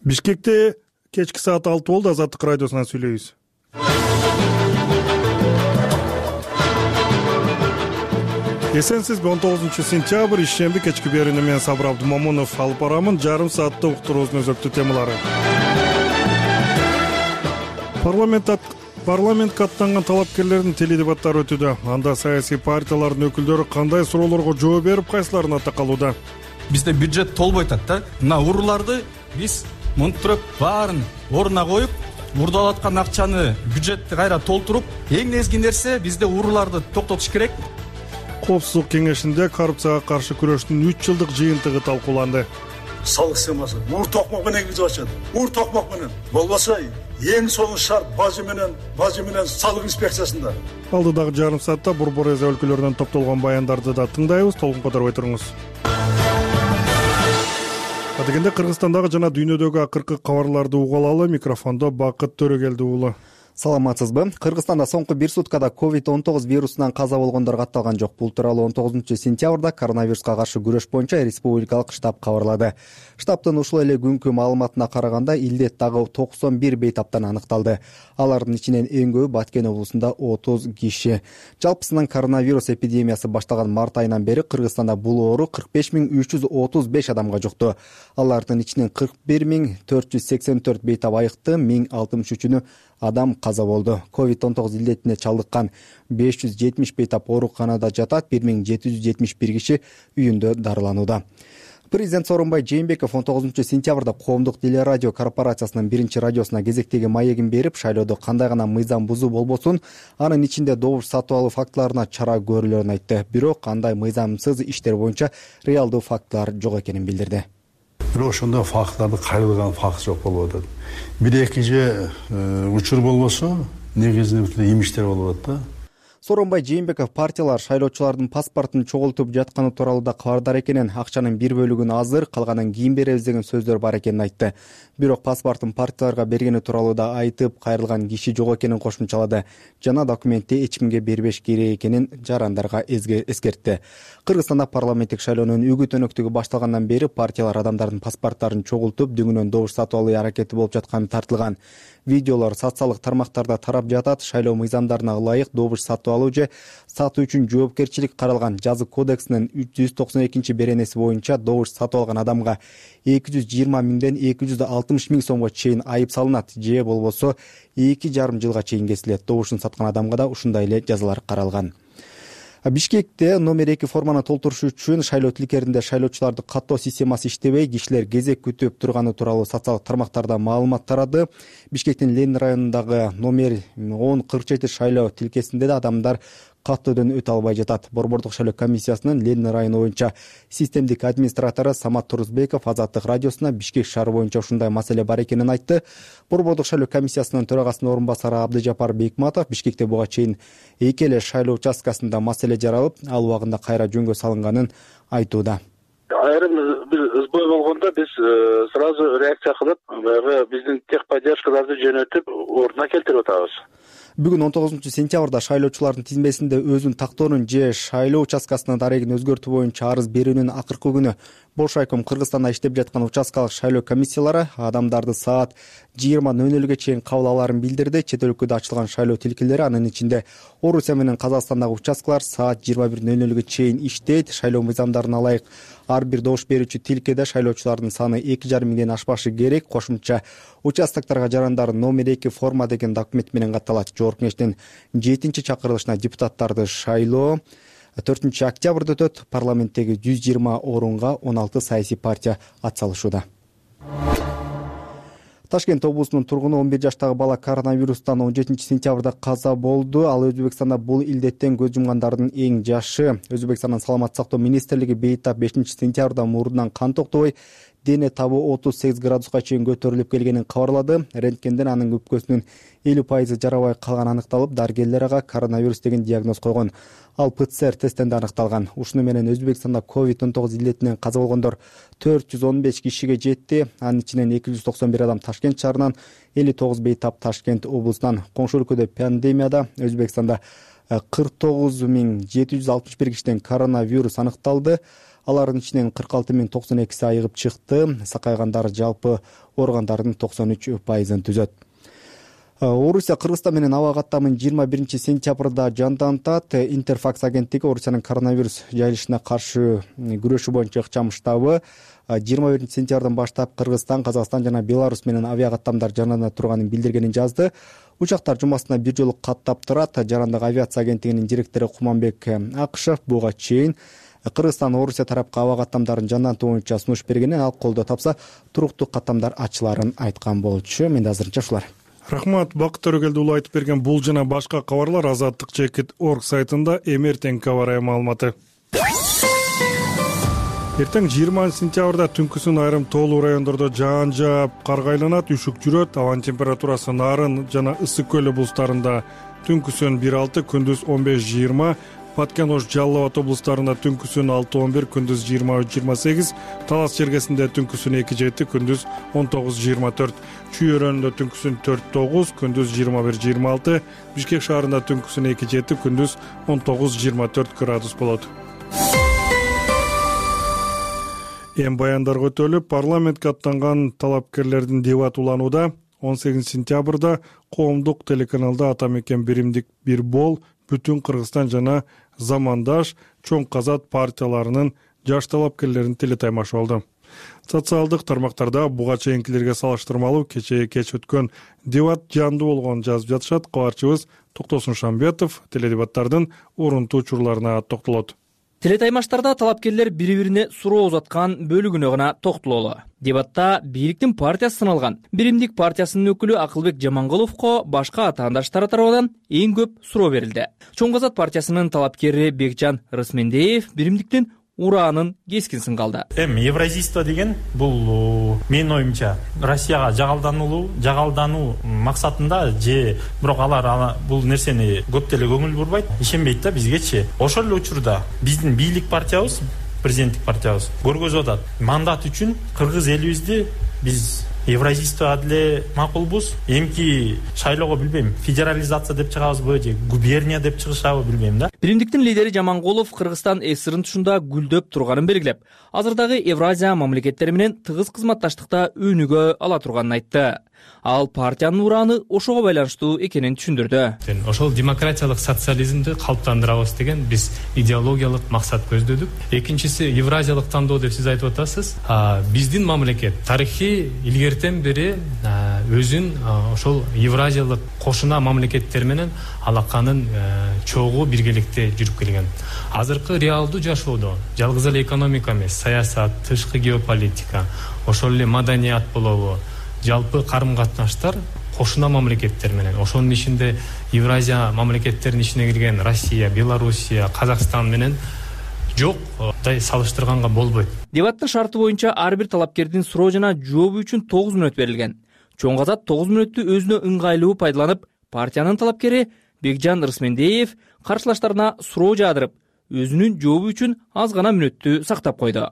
Бишкекте кечки саат 6 болду. Азаттык радиосунан сүйлөйбүз. Эсенсизби? 19-сентябрь ишемби кечки берүүнү мен Сабыр Абдумомунов алып барамын. Жарым саатта уктуруубуздун өзөктүү темалары. Парламентке аттанган талапкерлердин теледебаттары өтүүдө. Анда саясий партиялардын өкүлдөрү кандай суроолорго жооп берип, кайсыларын ата калууда? Бизде бюджет толбой атат да. Мына урууларды биз монтуп баарын ордуна коюп, урдалап аткан акчаны бюджетти кайра толтуруп, эң негизги нерсе бизде урууларды токтотуш керек. Коопсуздук кеңешинде коррупцияга каршы күрөштүн 3 жылдык жыйынтыгы талкууланды. Салык схемасы мур токмок менен киргизип атышат. Мур токмок менен. Болбосо эң сонун шарт бажы менен салык инспекциясында. Алдыдагы жарым саатта Борбор эзе өлкөлөрүнөн топтолгон баяндарды да тыңдайбыз. Толкун которбой туруңуз. Адегенде Кыргызстандагы жана дүйнөдөгү акыркы кабарларды угулалы. Микрофондо Бакыт Төрөгелди уулу. Саламатсызбы? Кыргызстанда соңку 1 суткада COVID-19 вирусунан каза болгондор катталган жок. Бул тууралуу 19-сентябрда коронавируска каршы күрөш боюнча республикалык штаб кабарлады. Штабтын ушул эле күнкү маалыматына караганда илдет дагы 91 бейтаптан аныкталды. Алардын ичинен эң көбү Баткен облусунда 30 киши. Жалпысынан коронавирус эпидемиясы башталган март айынан бери Кыргызстанда бул оору 45.335 адамга жукту. Алардын ичинен 41.484 бейтап айыкты, 1063 адам каза болду. COVID-19 илдетине чалдыккан 570 бейтап ооруканада жатат, 1771 киши үйүндө дарыланууда. Президент Сооронбай Жээнбеков 19-сентябрда коомдук телерадио корпорациясынын 1-радиосуна кезектеги маегин берип, шайлоодо кандай гана мыйзам бузуу болбосун, анын ичинде добуш сатып алуу фактыларына чара көрүлөрүн айтты. Бирок андай мыйзамсыз иштер боюнча реалдуу фактылар жок экенин билдирди. Бирок ошондой фактларды кайрылган факт жок болуп атат. 1-2 же учур болбосо, негизинен имиштер болуп атат да. Сооронбай Жээнбеков партиялар шайлоочулардын паспортун чогултуп жатканы тууралуу да кабардар экенин, акчанын бир бөлүгүн азыр, калганын кийин беребиз деген сөздөр бар экенин айтты. Бирок паспортун партияларга бергени тууралуу да айтып, кайрылган киши жок экенин кошумчалады. Жана документти эч кимге бербеш керек экенин жарандарга эскертти. Кыргызстанда парламенттик шайлоонун үгүт өнөктүгү башталгандан бери партиялар адамдардын паспорттарын чогултуп, дөңүнөн добуш сатып алуу аракети болуп жатканы тартылган. Видеолор социалдык тармактарда тарап жатат. Шайлоо мыйзамдарына ылайык добуш сатып алуу же сатуу үчүн жоопкерчилик каралган жазык кодексинин 192-беренеси боюнча добуш сатып алган адамга 220 миңден 260 миң сомго чейин айып салынат, же болбосо 2,5 жылга чейин кесилет. Добушун саткан адамга да ушундай эле жазалар каралган. Бишкекте номер 2 форманы толтуруш үчүн шайлоо тилкеринде шайлоочуларды каттоо системасы иштебей, кишилер кезек күтүп турганы тууралуу социалдык тармактарда маалымат тарады. Бишкектин Ленин районундагы номер 1047 шайлоо тилкесинде да адамдар каттоодон өтө албай жатат. Борбордук шайлоо комиссиясынын Ленин району боюнча системдик администратору Самат Турузбеков Азаттык радиосуна Бишкек шаары боюнча ушундай маселе бар экенин айтты. Борбордук шайлоо комиссиясынын төрагасынын орун басары Абдыжапар Бекматов Бишкекте буга чейин 2 эле шайлоо участкасында маселе жаралып, ал убагында кайра жөнгө салынганын айтууда. Айрым бир сбой болгондо биз сразу реакция кылып, баягы биздин техподдержкаларды жөнөтүп, ордуна келтирип атабыз. Бүгүн 19-сентябрда шайлоочулардын тизмесинде өзүн тактоонун же шайлоо участкасынын дарегин өзгөртүү боюнча арыз берүүнүн акыркы күнү. Бош айком Кыргызстанда иштеп жаткан участкалык шайлоо комиссиялары адамдарды саат 20:00 чейин кабыл алаарын билдирди. Чет өлкөдө ачылган шайлоо тилкелери, анын ичинде Орусия менен Казакстандагы участкалар саат 21:00 чейин иштейт. Шайлоо мыйзамдарына ылайык ар бир добуш берүүчү тилкеде шайлоочулардын саны 2,5 миңден ашпашы керек. Кошумча участокторго жарандар номер 2 форма деген документ менен катталат. Жогорку кеңештин 7-чакырылышына депутаттарды шайлоо 4-октябрда өтөт. Парламенттеги 120 орунга 16 саясий партия атсалышууда. Ташкент облусунун тургуну 11 жаштагы бала коронавирустан 17-сентябрда каза болду. Ал Өзбекстанда бул илдеттен көз жумгандардын эң жашы. Өзбекстандын саламаттык сактоо министрлиги бейтап 5-сентябрда мурдунан кан токтобой, дене табы 38 градуска чейин көтөрүлүп келгенин кабарлады. Рентгенден анын өпкөсүнүн 50% жарабай калганы аныкталып, дарыгерлер ага коронавирус деген диагноз койгон. Ал ПЦР тесттен да аныкталган. Ушуну менен Өзбекстанда COVID-19 илдетинен каза болгондор 415 кишиге жетти. Анын ичинен 291 адам Ташкент шаарынан, 59 бейтап Ташкент облусунан. Коңшу өлкөдө пандемияда Өзбекстанда 49.761 кишиден коронавирус аныкталды. Алардын ичинен 46.092 айыгып чыкты. Сакайгандар жалпы ооругандардын 93% түзөт. Орусия Кыргызстан менен аба каттамын 21 сентябрда жандантат. Интерфакс агенттиги Орусиянын коронавирус жайылышына каршы күрөшүү боюнча ыкчам штабы 21 сентябрдан баштап Кыргызстан, Казакстан жана Беларусь менен авиа каттамдар жандана турганын билдиргенин жазды. Учактар жумасына бир жолу каттап турат. Жарандык авиация агенттигинин директору Куманбек Акышев буга чейин Кыргызстан Орусия тарапка аба каттамдарын жандантуу боюнча сунуш бергенин, ал колдоо тапса туруктуу каттамдар ачыларын айткан болчу. Менде азырынча ушулар. Рахмат, Бакыт Төрөгелдиұлы айтып берген бул жана башка кабарлар Азаттык.org сайтында эмертең кабар маалыматы. Эртең 20 сентябрда түнкүсүн айрым тоолуу райондордо жаан жаап, карга айланат, үшүк жүрөт. Абанын температурасы Нарын жана Ысык көлү булустарында түнкүсүн 1-6, күндүз 15-20, Паткен-Ош, Жалал Абад облустарында түнкүсүн 6-11, күндүз 23-28, Талас чергесинде түнкүсүн 2-7, күндүз 19-24, Чүй өрөөнүндө түнкүсүн 4-9, күндүз 21-26, Бишкек шаарында түнкүсүн 2-7, күндүз 19-24 градус болот. Эң баяндарга өтөлүп, парламентке аттанган талапкерлердин дебаты уланууда. 18 сентябрда коомдук телеканалда Атамекен биримдик бир бол, бүтүн Кыргызстан жана Замандаш чоң казат партияларынын жаш талапкерлеринин телетаймашы болду. Социалдык тармактарда буга чейинкилерге салыштырмалуу кечээ кеч өткөн дебат жандуу болгонун жазып жатышат. Кабарчыбыз Токтосун Шамбетов теледебаттардын орунтуу учурларына токтолот. Телетаймаштарда талапкерлер бири-бирине суроо узаткан бөлүгүнө гана токтололу. Дебатта бийликтин партиясы сыналган Биримдик партиясынын өкүлү Акылбек Жаманголовго башка атаандаштары тарабынан эң көп суроо берилди. Чоң казат партиясынын талапкери Бекжан Рысмендеев биримдиктин ураанын кескин сынгалды. Евразийство деген бул менин оюмча Россияга жагалдануу максатында же бирок алар бул нерсени көп деле көңүл бурбайт, ишенбейт да бизгечи. Ошол эле учурда биздин бийлик партиябыз, президенттик партиябыз көргөзүп атат. Мандат үчүн кыргыз элибизди биз Евразийство деле макулбуз. Эмки шайлоого билбейм, федерализация деп чыгабызбы же губерния деп чыгышабы билбейм да. Биримдиктин лидери Жаманголов Кыргызстан СССРнын тушунда гүлдөп турганын белгилеп, азырдагы Евразия мамлекеттери менен тыгыз кызматташтыкта өнүгө ала турганын айтты. Ал партиянын урааны ошого байланыштуу экенин түшүндүрдү. Ошол демократиялык социализмди калыптандырабыз деген биз идеологиялык максат көздөдүк. Экинчиси Евразиялык тандоо деп сиз айтып атасыз. Биздин мамлекет тарыхый илгертен бери өзүн ошол Евразиялык кошуна мамлекеттер менен алаканын чогуу биргеликте жүрүп келген. Азыркы реалдуу жашоодо жалгыз эле экономика эмес, саясат, тышкы геополитика, ошол эле маданият болобу, жалпы карым-катнаштар кошуна мамлекеттер менен, ошонун ичинде Евразия мамлекеттеринин ичине кирген Россия, Белоруссия, Казакстан менен жокдай салыштырганга болбойт. Дебаттын шарты боюнча ар бир талапкердин суроо жана жообу үчүн 9 мүнөт берилген. Чоң казат 9 мүнөттү өзүнө ыңгайлуу пайдаланып, партиянын талапкери Бекжан Рысмендеев каршылаштарына суроо жаадырып, өзүнүн жообу үчүн аз гана мүнөттү сактап койду.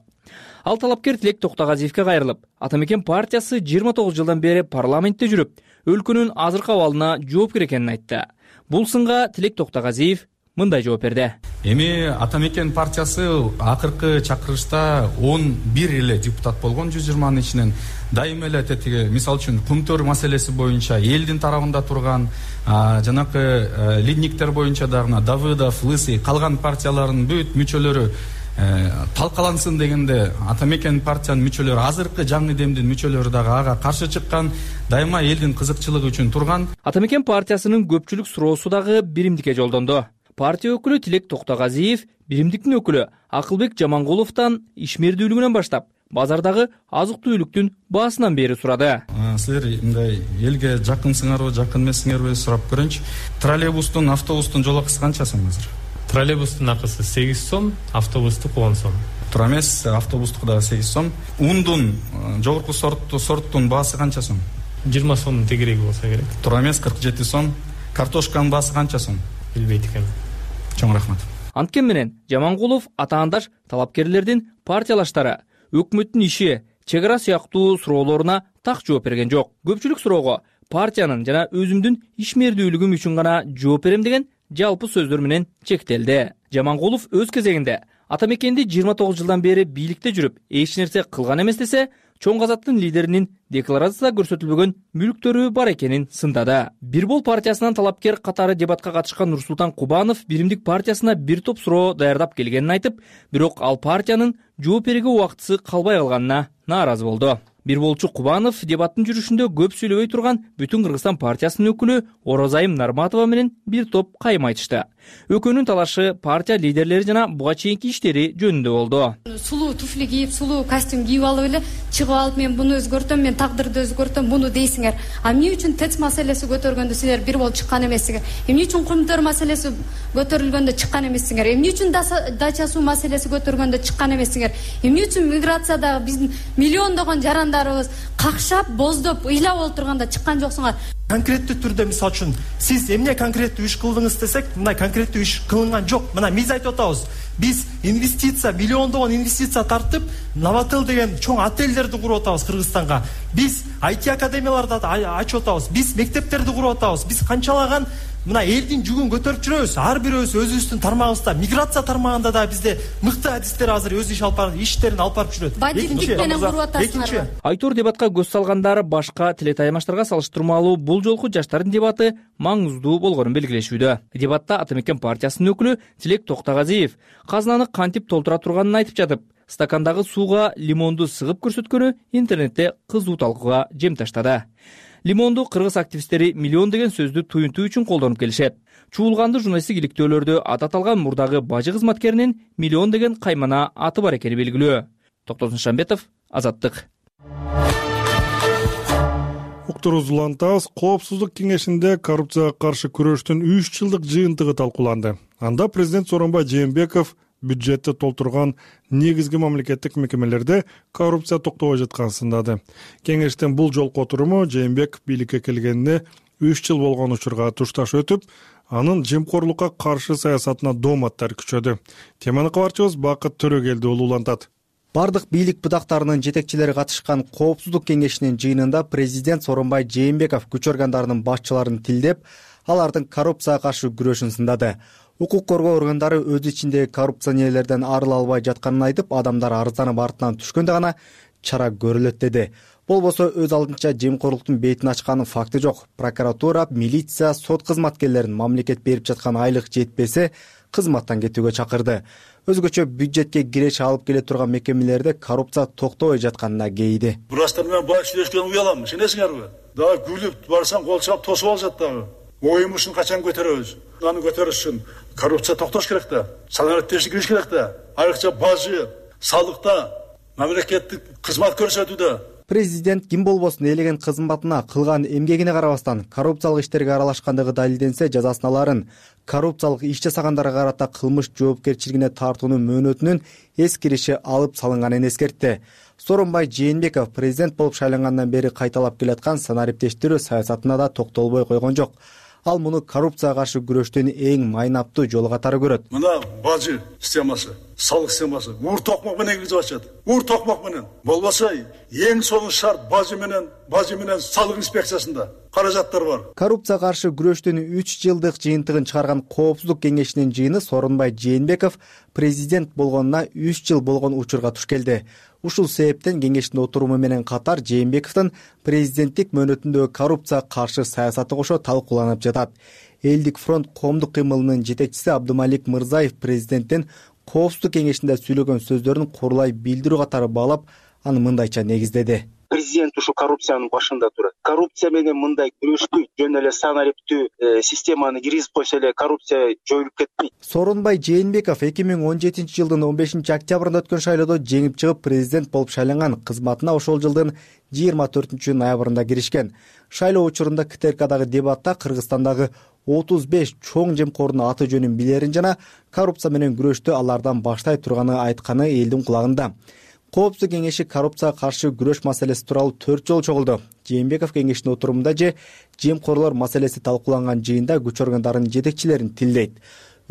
Ал талапкер Тилек Токтогазиевке кайрылып, Атамекен партиясы 29 жылдан бери парламентте жүрүп, өлкөнүн азыркы абалына жооп экенин айтты. Бул сынга Тилек Токтогазиев мындай жооп берди. Эми Атамекен партиясы акыркы чакырышта 11 эле депутат болгон 120нын ичинен. Дайыма эле тетиги, мисалы үчүн Кумтөр маселеси боюнча элдин тарабында турган, жанакы лидниктер боюнча дагы Давыдов, Лысый, калган партиялардын бүт мүчөлөрү талкалансын дегенде Атамекен партиянын мүчөлөрү, азыркы жаңы демдин мүчөлөрү дагы ага каршы чыккан, дайыма элдин кызыкчылыгы үчүн турган. Атамекен партиясынын көпчүлүк суроосу дагы биримдикке жолдонду. Партия өкүлү Тилек Токтогазиев биримдиктин өкүлү Акылбек Жаманголовдон ишмердүүлүгүнөн баштап базардагы азык-түлүктүн баасынан бери сурады. Силер мындай элге жакынсыңарбы, жакын эмессиңерби сурап көрөйүнчү. Троллейбустун, автобустун жол акысы канча сом азыр? Троллейбустун акысы 8 сом, автобустук 10 сом. Туура эмес, автобустук дагы 8 сом. Ундун жогорку сорттун баасы канча сом? 20 сомдун тегереги болсо керек. Туура эмес, 47 сом. Картошканын баасы канча сом? Билбейт экенмин. Чоң рахмат. Анткен менен Жаманголов атаандаш талапкерлердин партиялаштары өкмөттүн иши, чегара сыяктуу суроолоруна так жооп берген жок. Көпчүлүк суроого партиянын жана өзүмдүн ишмердүүлүгүм үчүн гана жооп берем деген жалпы сөздөр менен чектелди. Жаманголов өз кезегинде Ата мекенди 29 жылдан бери бийликте жүрүп, эч нерсе кылган эмес десе, Чоң Казактын лидеринин декларацияда көрсөтүлбөгөн мүлктөрү бар экенин сындады. Бир бол партиясынан талапкер катары дебатка катышкан Нурсултан Кубанов Биримдик партиясына бир топ суроо даярдап келгенин айтып, бирок ал партиянын жооп берүүгө убактысы калбай калганына нааразы болду. Бир болчу Кубанов дебаттын жүрүшүндө көп сүйлөбөй турган Бүтүн Кыргызстан партиясынын өкүлү Оразайым Нарматова менен бир топ кайым айтышты. Өкөнүн талашы партия лидерлери жана буга чейинки иштери жөнүндө болду. Сулуу туфли кийип, сулуу костюм кийип алып эле чыгып алып, мен буну өзгөртөм, мен тагдырды өзгөртөм, буну дейсиңер. А эмне үчүн ТЭЦ маселеси көтөргөндө силер бир болуп чыккан эмессиңер? Эмне үчүн Кумтөр маселеси көтөрүлгөндө чыккан эмессиңер? Эмне үчүн дача суу маселеси көтөргөндө чыккан эмессиңер? Эмне үчүн миграциядагы биздин миллиондогон жарандарыбыз какшап, боздоп, ыйлап олтурганда чыккан жоксуңар? Конкреттүү түрдө мисалы үчүн сиз эмне конкреттүү иш кылдыңыз десек, мына конкреттүү иш кылынган жок. Мына биз айтып атабыз. Биз инвестиция, миллиондогон инвестиция тартып, Новотел деген чоң отелдерди куруп атабыз Кыргызстанга. Биз IT академияларды ачып атабыз. Биз мектептерди куруп атабыз. Биз канчалаган мына элдин жүгүн көтөрүп жүрөбүз. Ар бирөөбүз өзүбүздүн тармагыбызда, миграция тармагында да бизде мыкты адистер азыр өз иштерин алып барып жүрөт. Бадилдик менен куруп атасыңар. Айтор дебатка көз салгандар башка телетаймаштарга салыштырмалуу бул жолку жаштардын дебаты маңыздуу болгонун белгилешүүдө. Дебатта Ата мекен партиясынын өкүлү Тилек Токтогазиев казынаны кантип толтура турганын айтып жатып, стакандагы сууга лимонду сыгып көрсөткөнү интернетте кызуу талкууга жем таштады. Лимонду кыргыз активисттери миллион деген сөздү туюнтуу үчүн колдонуп келишет. Чуулганды журналисттик иликтөөлөрдө аты аталган мурдагы бажы кызматкеринин миллион деген каймана аты бар экени белгилүү. Токтосун Шамбетов, Азаттык. Уктуруз улантабыз. Коопсуздук кеңешинде коррупцияга каршы күрөштүн 3 жылдык жыйынтыгы талкууланды. Анда президент Сооронбай Жээнбеков бюджетти толтурган негизги мамлекеттик мекемелерде коррупция токтобой жатканын сындады. Кеңештин бул жолку отуруму Жээнбеков бийликке келгенине 3 жыл болгон учурга тушташ өтүп, анын жемкорлукка каршы саясатына дооматтар күчөдү. Теманы кабарчыбыз Бакыт Төрөгелди улантат. Бардык бийлик бутактарынын жетекчилери катышкан коопсуздук кеңешинин жыйынында президент Сооронбай Жээнбеков күч органдарынын башчыларын тилдеп, алардын коррупцияга каршы күрөшүн сындады. Укук коргоо органдары өз ичиндеги коррупционерлерден арыла албай жатканын айтып, адамдар арызданып артынан түшкөндө гана чара көрүлөт деди. Болбосо өз алдынча жемкорлуктун бетин ачканын факты жок. Прокуратура, милиция, сот кызматкерлерин мамлекет берип жаткан айлык жетпесе, кызматтан кетүүгө чакырды. Өзгөчө бюджетке киреш алып келе турган мекемелерде коррупция токтобой жатканына кейиди. Бурастар менен бай сүйлөшкөн уялам, сенесиңерби? Дагы күлүп барсаң кол чап тосуп алышат дагы. Оюмушун качан көтөрөбүз? Аны көтөрүш үчүн коррупция токтош керек да. Санариптештик кириш керек да. Айрыкча бажы, салыкта, мамлекеттик кызмат көрсөтүүдө. Президент ким болбосун элеген кызматына, кылган эмгегине карабастан коррупциялык иштерге аралашкандыгы далилденсе жазасын аларын, коррупциялык иш жасагандарга карата кылмыш жоопкерчилигине тартуунун мөөнөтүнүн эскириши алып салынганын эскертти. Сооронбай Жээнбеков президент болуп шайлангандан бери кайталап келаткан санариптештирүү саясатына да токтолбой койгон жок. Ал муну коррупцияга каршы күрөштүн эң майнаптуу жолу катары көрөт. Мына бажы системасы, салык системасы ур токмок менен киргизип атышат. Ур токмок менен. Болбосо эң сонун шарт бажы менен салык инспекциясында каражаттар бар. Коррупцияга каршы күрөштүн 3 жылдык жыйынтыгын чыгарган коопсуздук кеңешинин жыйыны Сооронбай Жээнбеков президент болгонуна 3 жыл болгон учурга туш келди. Ушул себептен кеңештин отуруму менен катар Жээнбековдун президенттик мөөнөтүндөгү коррупцияга каршы саясаты кошо талкууланып жатат. Элдик фронт коомдук кыймылынын жетекчиси Абдымалик Мырзаев президенттин коопсуздук кеңешинде сүйлөгөн сөздөрүн курулай билдирүү катары баалап, аны мындайча негиздеди. Президент ушу коррупциянын башында турат. Коррупция менен мындай күрөштү жөн эле санариптүү системаны киргизип койсо эле коррупция жоюлуп кетпейт. Сооронбай Жээнбеков 2017 жылдын 15 октябрында өткөн шайлоодо жеңип чыгып президент болуп шайланган. Кызматына ошол жылдын 24 ноябрында киришкен. Шайлоо учурунда КТРКдагы дебатта Кыргызстандагы 35 чоң жемкордун аты жөнүн билерин жана коррупция менен күрөштү алардан баштай турганы айтканы элдин кулагында. Коопсуздук кеңеши коррупцияга каршы күрөш маселеси тууралуу 4 жолу чогулду. Жээнбеков кеңештин отурумунда же жемкорлор маселеси талкууланган жыйында күч органдарынын жетекчилерин тилдейт.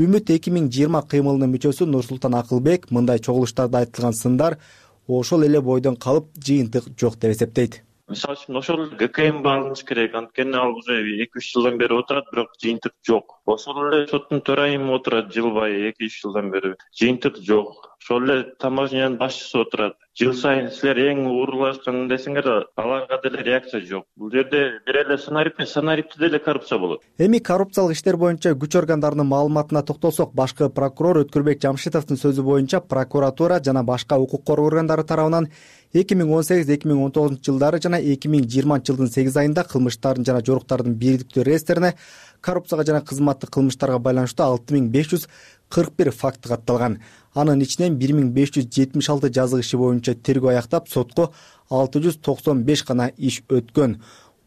Үмүт 2020 кыймылынын мүчөсү Нурсултан Акылбек мындай чогулуштарда айтылган сындар ошол эле бойдон калып жыйынтык жок деп эсептейт. Мисалы үчүн ошол ГКМ багыныш керек. Анткени ал уже 2-3 жылдан бери отурат, бирок жыйынтык жок. Ошол эле соттун төрайымы отурат жылбай 2-3 жылдан бери. Жыйынтык жок. ошол эле таможнянын башчысы отурат. Жыл сайын силер эң уурулашкан десеңер, аларга деле реакция жок. Бул жерде бир эле сценарийде деле коррупция болот. Эми коррупциялык иштер боюнча күч органдарынын маалыматына токтолсок, башкы прокурор Өткүрбек Жамшитовдун сөзү боюнча прокуратура жана башка укук коргоо органдары тарабынан 2018-2019 жылдары жана 2020 жылдын 8 айында кылмыштардын жана жоруктардын бирдиктүү реестерине коррупцияга жана кызматтык кылмыштарга байланыштуу 6541 факты катталган. Анын ичинен 1576 жазык иши боюнча тергөө аяктап, сотко 695 гана иш өткөн.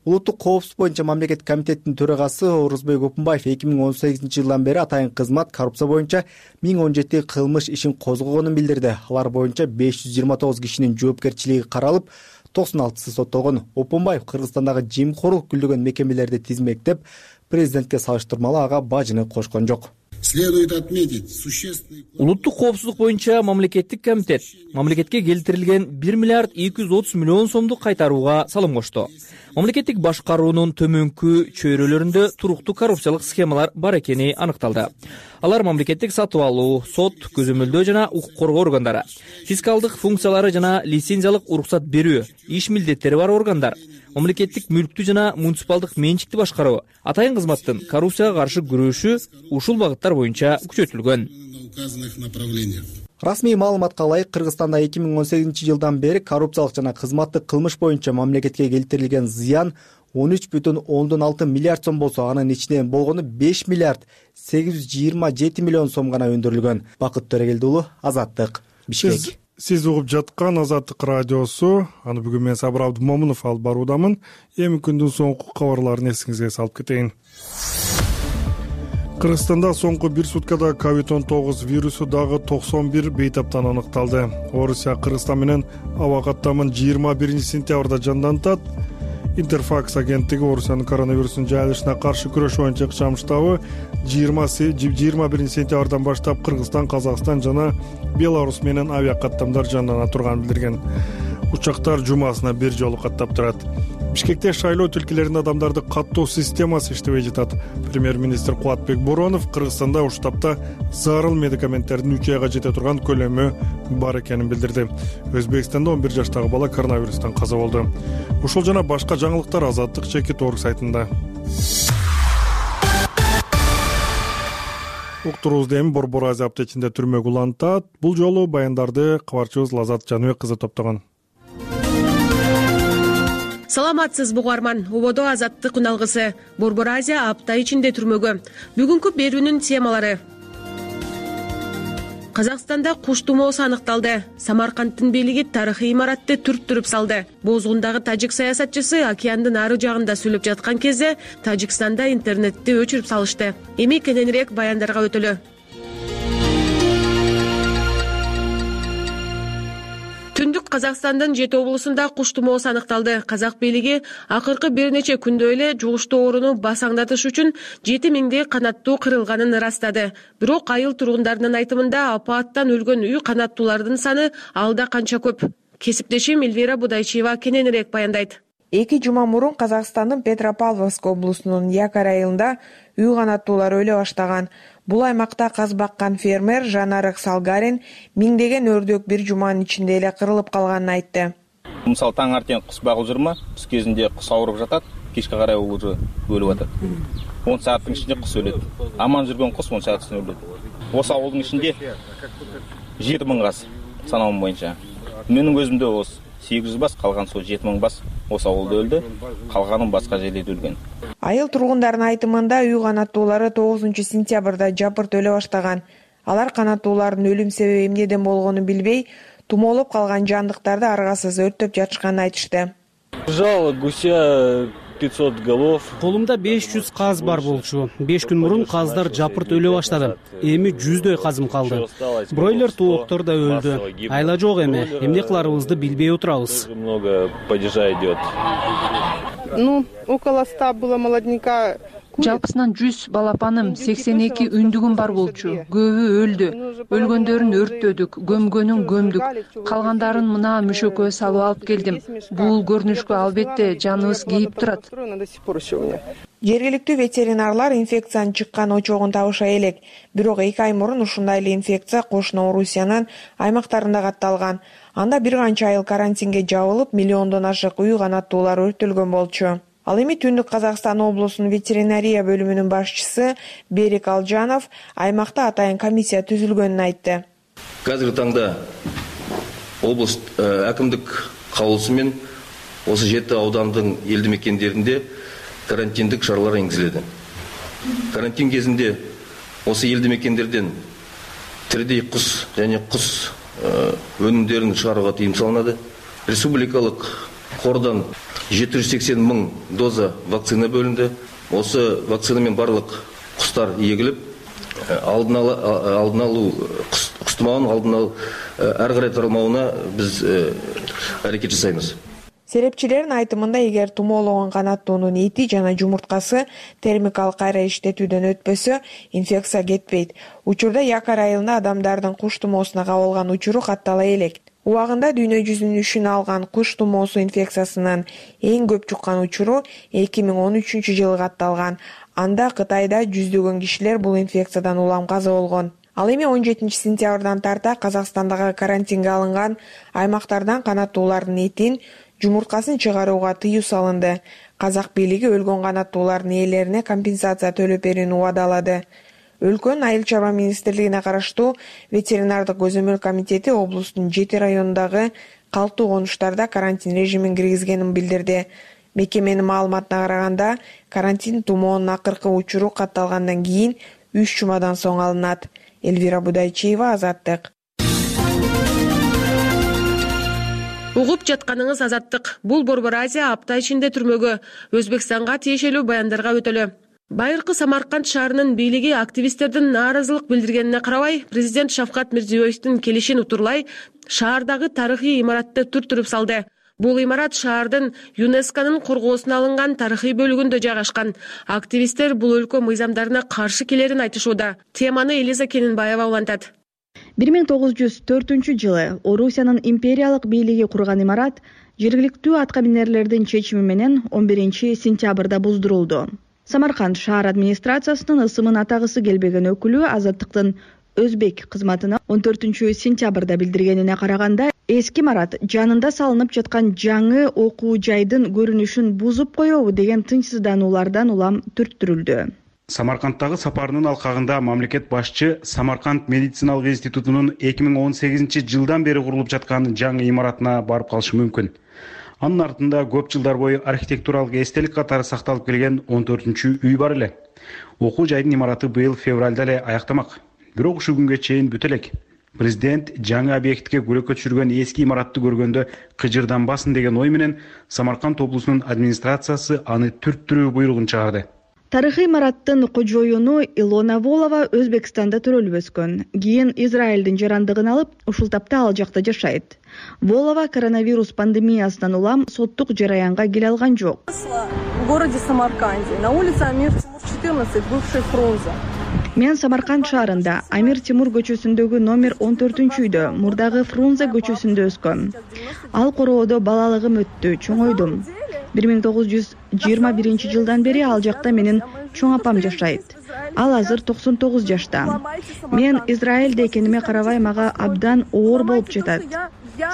Улуттук коопсуздук боюнча мамлекеттик комитеттин төрагасы Орузбек Опунбаев 2018 жылдан бери атайын кызмат коррупция боюнча 1017 кылмыш ишин козгогонун билдирди. Алар боюнча 529 кишинин жоопкерчилиги каралып, 96сы соттолгон. Опунбаев Кыргызстандагы жемкорлук күлдөгөн мекемелерди тизмектеп, президентке салыштырмалуу ага бажыны кошкон жок. Следует отметить существенный... Улуттук коопсуздук боюнча мамлекеттик комитет мамлекетке келтирилген 1 миллиард 230 миллион сомду кайтарууга салым кошту. Мамлекеттик башкаруунун төмөнкү чөйрөлөрүндө туруктуу коррупциялык схемалар бар экени аныкталды. Алар мамлекеттик сатып алуу, сот, көзөмөлдөө жана укук коргоо органдары, фискалдык функциялары жана лицензиялык уруксат берүү, иш милдеттери бар органдар, мамлекеттик мүлктү жана муниципалдык менчикти башкаруу, атайын кызматтын коррупцияга каршы күрөшү ушул багыттар боюнча күчөтүлгөн. Расмий маалыматка ылайык, Кыргызстанда 2018 жылдан бери коррупциялык жана кызматтык кылмыш боюнча мамлекетке келтирилген зыян 13,6 миллиард сом болсо, анын ичинен болгону 5 миллиард 827 миллион сом гана өндүрүлгөн. Бакыт Төрегелди уулу, Азаттык, Бишкек. Сиз угуп жаткан Азаттык радиосу. Аны бүгүн мен Сабыр Абдымомунов алып баруудамын. Эми күндүн соңку кабарларын эсиңизге салып кетейин. Кыргызстанда соңку бир суткада COVID-19 вирусу дагы 91 бейтаптан аныкталды. Орусия Кыргызстан менен аба каттамын 21 сентябрда жандантат. Интерфакс агенттиги Орусиянын коронавирустун жайылышына каршы күрөш боюнча ыкчам штабы 21 сентябрдан баштап Кыргызстан, Казакстан жана Беларусь менен авиа каттамдар жандана турганын билдирген. Учактар жумасына бир жолу каттап турат. Бишкекте шайлоо тилкелеринин адамдарды каттоо системасы иштебей жатат. Премьер-министр Кубатбек Боронов Кыргызстанда ушул тапта зарыл медикаменттердин 3 айга жете турган көлөмү бар экенин билдирди. Өзбекстанда 11 жаштагы бала коронавирустан каза болду. Ушул жана башка жаңылыктар Азаттык /org сайтында. Уктуруубузду эми Борбор Азия аптечинде түрмөгү улантат. Бул жолу баяндарды кабарчыбыз Лазат Жаныбек кызы топтогон. Саламатсызбы угарман, ободо Азаттык үналгысы. Борбор Азия апта ичинде түрмөгө. Бүгүнкү берүүнүн темалары. Казакстанда куш тумоосу аныкталды. Самаркандтын бийлиги тарыхый имаратты түрттүрүп салды. Бозгундагы тажик саясатчысы океандын ары жагында сүйлөп жаткан кезде Тажикстанда интернетти өчүрүп салышты. Эми кененирээк баяндарга өтөлү. Түндүк Казакстандын 7 облусунда куш тумоосу аныкталды. Казак бийлиги акыркы бир нече күндө эле жугуштуу ооруну басаңдатыш үчүн 7000 канаттуу кырылганын ырастады. Бирок айыл тургундарынын айтымында апааттан өлгөн үй канаттуулардын саны алда канча көп. Кесиптешим Эльвира Будайчиева кененирээк баяндайт. 2 жума мурун Казакстандын Петропавловск облусунун Якар айылында үй канаттуулар өлө баштаган. Бул аймакта каз баккан фермер Жанарык Салгарин миңдеген өрдөк бир жуманын ичинде эле кырылып калганын айтты. Мисалы таң артен кус багып жүрмө, түс кезинде кус ауырып жатат, кечке карай уже өлүп атат. 10 сааттын ичинде кус өлөт. Аман жүргөн кус 10 сааттын ичинде өлөт. Осы ауылдын ичинде 7000 газ санауым боюнча. Менин көзүмдө 800 бас, калган сол 7000 бас осы ауылда өлдү, калганын башка жерлерде өлгөн. Айыл тургундарынын айтымында үй канаттуулары 9 сентябрда жапырт өлө баштаган. Алар канаттуулардын өлүм себеби эмнеден болгонун билбей, тумоолоп калган жандыктарды аргасыз өрттөп жатышканын айтышты. Жало гуся 500 голов. Колумда 500 каз бар болчу. 5 күн мурун каздар жапырт өлө баштады. Эми 100дөй казым калды. Бройлер тооктор да өлдү. Айла жок эми. Эмне кыларыбызды билбей отурабыз. Много падежа идет. Около 100 было молодняка. Жалпысынан 100 балапаным, 82 үндүгүм бар болчу. Көбү өлдү. Өлгөндөрүн өрттөдүк, көмгөнүн көмдүк. Калгандарын мына мүшөккө салып алып келдим. Бул көрүнүшкө албетте жаныбыз кейип турат. Жергиликтүү ветеринарлар инфекциянын чыккан очогун табышай элек. Бирок 2 ай мурун ушундай эле инфекция кошуна Орусиянын аймактарында катталган. Анда бир канча айыл карантинге жабылып, миллиондон ашык үй канаттуулар өртөлгөн болчу. Ал эми Түндүк Казакстан облусунун ветеринария бөлүмүнүн башчысы Берик Алжанов аймакта атайын комиссия түзүлгөнүн айтты. Қазіргі таңда облыс әкімдік каулусумен осы 7 аудандың елді мекендерінде карантиндік шаралар енгізіледі. Карантин кезінде осы елді мекендерден тірідей құс және құс өнімдерін шығаруға тыйым салынады. Республикалық қордан 780 мың доза вакцина бөлінді. Осы вакцинамен барлық құстар егіліп, алдын алу құс тұмауын алдын алу әрі қарай таралмауына біз әрекет жасаймыз. Серепчилердин айтымында, эгер тумоологон канаттуунун эти жана жумурткасы термикалык кайра иштетүүдөн өтпөсө, инфекция кетпейт. Учурда якар айылында адамдардын куш тумоосуна кабылган учуру каттала элек. Убагында дүйнө жүзүнүн үшүн алган куш тумоосу инфекциясынын эң көп чуккан учуру 2013-жылы катталган. Анда Кытайда жүздөгөн кишилер бул инфекциядан улам каза болгон. Ал эми 17 сентябрдан тарта Казакстандагы карантинге алынган аймактардан канаттуулардын этин, жумурткасын чыгарууга тыюу салынды. Казак бийлиги өлгөн канаттуулардын ээлерине компенсация төлөп берүүнү убадалады. Өлкөнүн айыл чарба министрлигине караштуу ветеринардык көзөмөл комитети облустун 7 районундагы калктуу конуштарда карантин режимин киргизгенин билдирди. Мекеменин маалыматына караганда, карантин тумоонун акыркы учуру катталгандан кийин 3 жумадан соң алынат. Эльвира Будайчиева, Азаттык. Угуп жатканыңыз Азаттык. Бул Борбор Азия апта ичинде түрмөгө, Өзбекстанга тиешелүү баяндарга өтөлө. Байыркы Самарканд шаарынын бийлиги активисттердин нааразылык билдиргенине карабай, президент Шавкат Мирзиёевдин келишин утурлай, шаардагы тарыхый имаратты түртүрүп салды. Бул имарат шаардын ЮНЕСКОнун коргоосуна алынган тарыхый бөлүгүндө жайгашкан. Активисттер бул өлкө мыйзамдарына каршы келерин айтышууда. Теманы Элиза Кенинбаева улантат. 1904-жылы Орусиянын империялык бийлиги курган имарат жергиликтүү аткаминерлердин чечими менен 11 сентябрда буздурулду. Самарканд шаар администрациясынын ысымын атагысы келбеген өкүлү Азаттыктын Өзбек кызматына 14 сентябрда билдиргенине караганда, эски имарат жанында салынып жаткан жаңы окуу жайдын көрүнүшүн бузуп коебу деген тынчсыздануулардан улам түрттүрүлдү. Самаркандтагы сапарынын алкагында мамлекет башчы Самарканд медициналык институтунун 2018-жылдан бери курулуп жаткан жаңы имаратына барып калышы мүмкүн. Анын артында көп жылдар бою архитектуралык эстелик катары сакталып келген 14-үй бар эле. Окуу жайдын имараты быйыл февралда эле аяктамак. Бирок ушу күнгө чейин бүтө элек. Президент жаңы объектке көрөккө түшүргөн эски имаратты көргөндө кыжырданбасын деген ой менен Самарканд облусунун администрациясы аны түрттүрүү буйругун чыгарды. Тарыхый имараттын кожоюну Илона Волова Өзбекстанда төрөлүп өскөн. Кийин Израилдин жарандыгын алып, ушул тапта ал жакта жашайт. Волова коронавирус пандемиясынан улам соттук жараянга келе алган жок. В городе Самарканде, на улице Амир Тимур 14, бывший Фрунзе. Мен Самарканд шаарында Амир Тимур көчөсүндөгү номер 14-үйдө, мурдагы Фрунзе көчөсүндө өскөм. Ал короодо балалыгым өттү, чоңойдум. 1921-жылдан бери ал жакта менин чоң апам жашайт. Ал азыр 99 жашта. Мен Израилде экениме карабай мага абдан оор болуп жатат.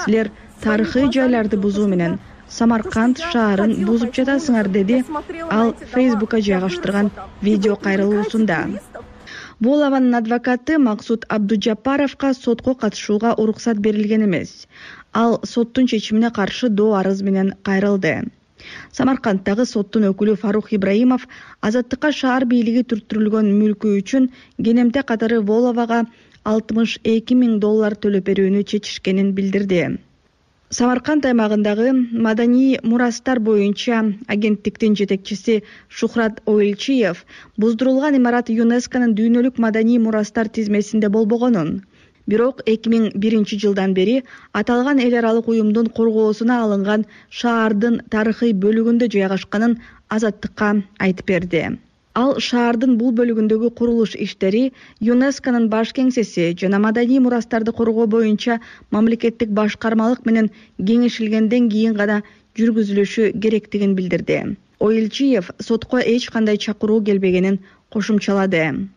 Силер тарыхый жайларды бузуу менен Самарканд шаарын бузуп жатасыңар, деди ал Фейсбукка жайгаштырган видео кайрылуусунда. Волованын адвокаты Максут Абдужапаровго сотко катышууга уруксат берилген эмес. Ал соттун чечимине каршы доо арыз менен кайрылды. Самаркандтагы соттун өкүлү Фарух Ибраимов Азаттыкка шаар бийлиги түрттүрүлгөн мүлкү үчүн кенемте катары Воловага $62,000 төлөп берүүнү чечишкенин билдирди. Самарканд аймагындагы маданий мурастар боюнча агенттиктин жетекчиси Шухрат Оилчиев буздурулган имарат ЮНЕСКонун дүйнөлүк маданий мурастар тизмесинде болбогонун, бирок 2001-жылдан бери аталган эл аралык уюмдун коргоосуна алынган шаардын тарыхый бөлүгүндө жайгашканын Азаттыкка айтып берди. Ал шаардын бул бөлүгүндөгү курулуш иштери ЮНЕСКонун баш кеңсеси жана маданий мурастарды коргоо боюнча мамлекеттик башкармалык менен кеңешилгенден кийин гана жүргүзүлүшү керектигин билдирди. Оилчиев сотко эч кандай чакыруу келбегенин кошумчалады.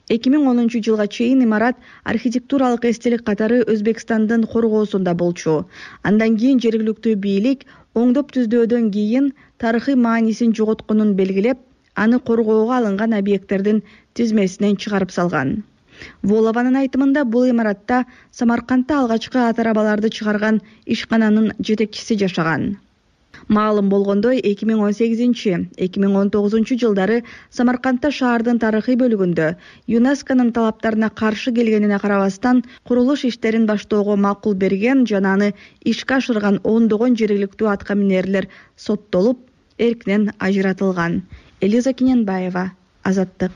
2010-жылга чейин имарат архитектуралык эстелик катары Өзбекстандын коргоосунда болчу. Андан кийин жергиликтүү бийлик оңдоп түздөөдөн кийин тарыхый маанисин жоготконун белгилеп, аны коргоого алынган объекттердин тизмесинен чыгарып салган. Волованын айтымында бул имаратта Самаркандта алгачкы ат арабаларды чыгарган ишкананын жетекчиси жашаган. Маалым болгондой, 2018-2019 жылдары Самаркандта шаардын тарыхый бөлүгүндө ЮНЕСКОнун талаптарына каршы келгенине карабастан курулуш иштерин баштоого макул берген жана аны ишке ашырган ондогон жергиликтүү атка минерлер соттолуп, эркинен ажыратылган. Элиза Кененбаева, Азаттык.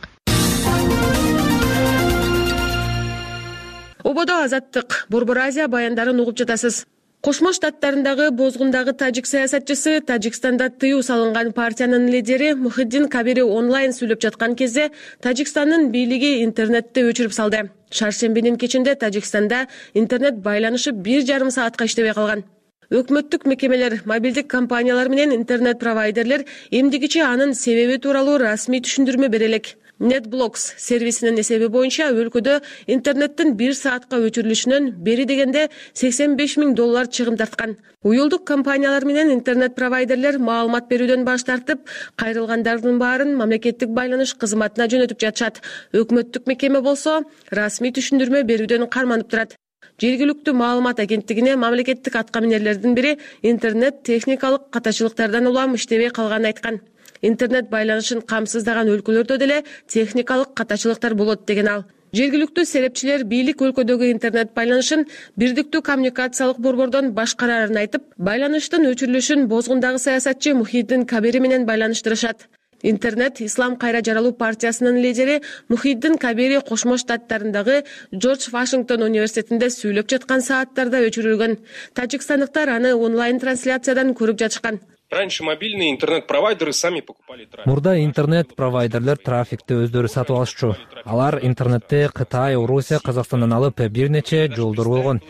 Ободо Азаттык, Борбор Азия баяндарын угуп жатасыз. Кошмо Штаттарындагы бозгундагы тажик саясатчысы Тажикстанда тыюу салынган партиянын лидери Мухиддин Кабири онлайн сүйлөп жаткан кезде Тажикстандын бийлиги интернетти өчүрүп салды. Шаршембинин кечинде Тажикстанда интернет байланышы 1,5 саатка иштебей калган. Өкмөттүк мекемелер, мобилдик компаниялар менен интернет провайдерлер эмдигиче анын себеби тууралуу расмий түшүндүрмө бере элек. NetBlocks сервисинин эсеби боюнча өлкөдө интернеттин 1 саатка өчүрүлүшүнөн бери дегенде $85,000 чыгым тарткан. Уюлдук компаниялар менен интернет провайдерлер маалымат берүүдөн баш тартып, кайрылгандардын баарын мамлекеттик байланыш кызматына жөнөтүп жатышат. Өкмөттүк мекеме болсо расмий түшүндүрмө берүүдөн карманып турат. Жергиликтүү маалымат агенттигине мамлекеттик атка минерлердин бири интернет техникалык катачылыктардан улам иштебей калганын айткан. Интернет байланышын камсыздаган өлкөлөрдө деле техникалык катачылыктар болот деген ал. Жергиликтүү серепчилер бийлик өлкөдөгү интернет байланышын Бирдиктүү коммуникациялык борбордон башкарарын айтып, байланыштын өчүрүлүшүн бозгундагы саясатчы Мухиддин Кабири менен байланыштырышат. Интернет Ислам кайра жаралуу партиясынын лидери Мухиддин Кабири Кошмо Штаттарындагы Джордж Вашингтон университетинде сүйлөп жаткан сааттарда өчүрүлгөн. Тажикстандыктар аны онлайн трансляциядан көрүп жатышкан. Раньше мобильные интернет-провайдеры сами покупали трафик. Мурда интернет-провайдерлер трафикти өздөрү сатып алышчу. Алар интернетти Кытай, Орусия, Казакстандан алып бир нече жолдор болгон.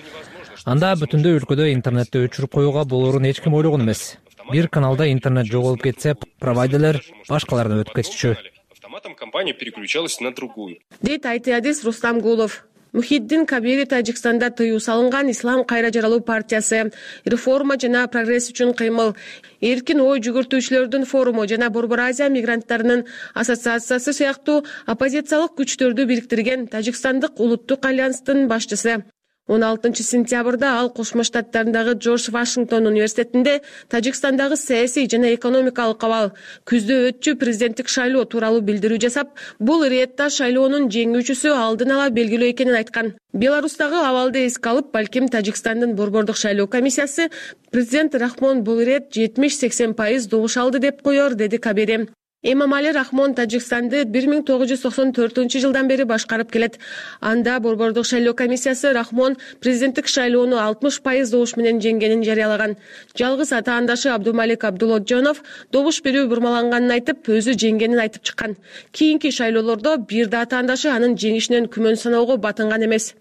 Анда бүтүндөй өлкөдө интернетти өчүрүп коюуга болоорун эч ким ойлогон эмес. Бир каналда интернет жоголуп кетсе, провайдерлер башкаларына өтүп кетишчү. Автоматом компания переключалась на другую. Дейт айтыадис Рустам Гулов. Мухиддин Кабири Тажикстанда тыюу салынган Ислам кайра жаралуу партиясы, реформа жана прогресс үчүн кыймыл, эркин ой жүгүртүүчүлөрдүн форуму жана Борбор Азия мигранттарынын ассоциациясы сыяктуу оппозициялык күчтөрдү бириктирген Тажикстандык улуттук альянстын башчысы. 16 сентябрда ал Кошмо Штаттарындагы Джордж Вашингтон университетинде Тажикстандагы саясий жана экономикалык абал, күздө өтчү президенттик шайлоо тууралуу билдирүү жасап, бул Риедда шайлоонун жеңүүчүсү алдын ала белгилүү экенин айткан. Беларустагы абалды эске алып, балким Тажикстандын борбордук шайлоо комиссиясы президент Рахмон Булред 70-80% добуш алды деп коёр, деди Кабири. Эмомали Рахмон Тажикстанды 1994 жылдан бери башкарып келет. Анда борбордук шайлоо комиссиясы Рахмон президенттик шайлоону 60% добуш менен жеңгенин жарыялаган. Жалгыз атаандашы Абдумалик Абдулоджонов добуш берүү бурмаланганын айтып, өзү жеңгенин айтып чыккан. Кийинки шайлоолордо бир да атаандашы анын жеңишинен күмөн саноого батынган эмес.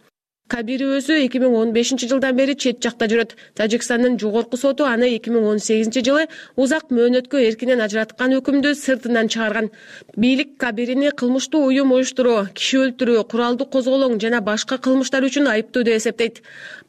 Кабири өзү 2015 жылдан бери чет жакта жүрөт. Тажикстандын жогорку соту аны 2018 жылы узак мөөнөткө эркинен ажыраткан өкүмдү сыртынан чыгарган. Бийлик Кабирини кылмыштуу уюм уюштуруу, киши өлтүрүү, куралдуу козголоң жана башка кылмыштар үчүн айыптуу деп эсептейт.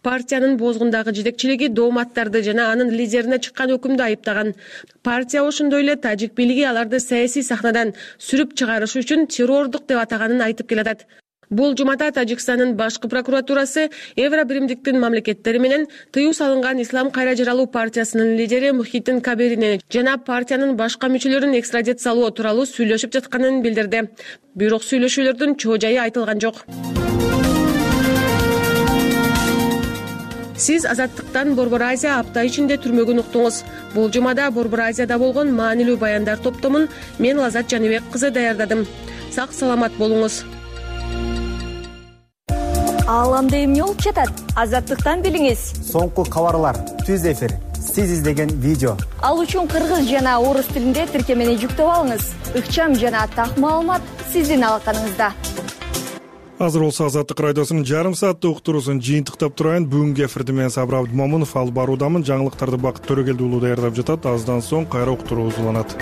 Партиянын бозгундагы жетекчилиги дооматтарды жана анын лидерине чыккан өкүмдү айыптаган. Партия ошондой эле тажик бийлиги аларды саясий сахнадан сүрүп чыгарыш үчүн террордук деп атаганын айтып келатат. Бул жумада Тажикстандын башкы прокуратурасы Евро биримдиктин мамлекеттери менен тыюу салынган Ислам кайра жаралуу партиясынын лидери Мухиддин Кабирини жана партиянын башка мүчөлөрүн экстрадициялоо тууралуу сүйлөшүп жатканын билдирди. Бирок сүйлөшүүлөрдүн чоо жайы айтылган жок. Сиз Азаттыктан Борбор Азия апта ичинде түрмөгүн уктуңуз. Бул жумада Борбор Азияда болгон маанилүү баяндар топтомун мен Лазат Жаныбек кызы даярдадым. Сак саламат болуңуз. Ааламда эмне болуп жатат? Азаттыктан билиңиз. Соңку кабарлар, түз эфир, сиз издеген видео. Ал үчүн кыргыз жана орус тилинде тиркемени жүктөп алыңыз. Ыкчам жана так маалымат сиздин алаканыңызда. азыр болсо Азаттык радиосунун жарым сааттык уктуруусун жыйынтыктап турайын. Бүгүнкү эфирди мен Сабыр Абдымомунов алып баруудамын. Жаңылыктарды Бакыт Төрөгелди уулу даярдап жатат. Аздан соң кайра уктуруубуз уланат.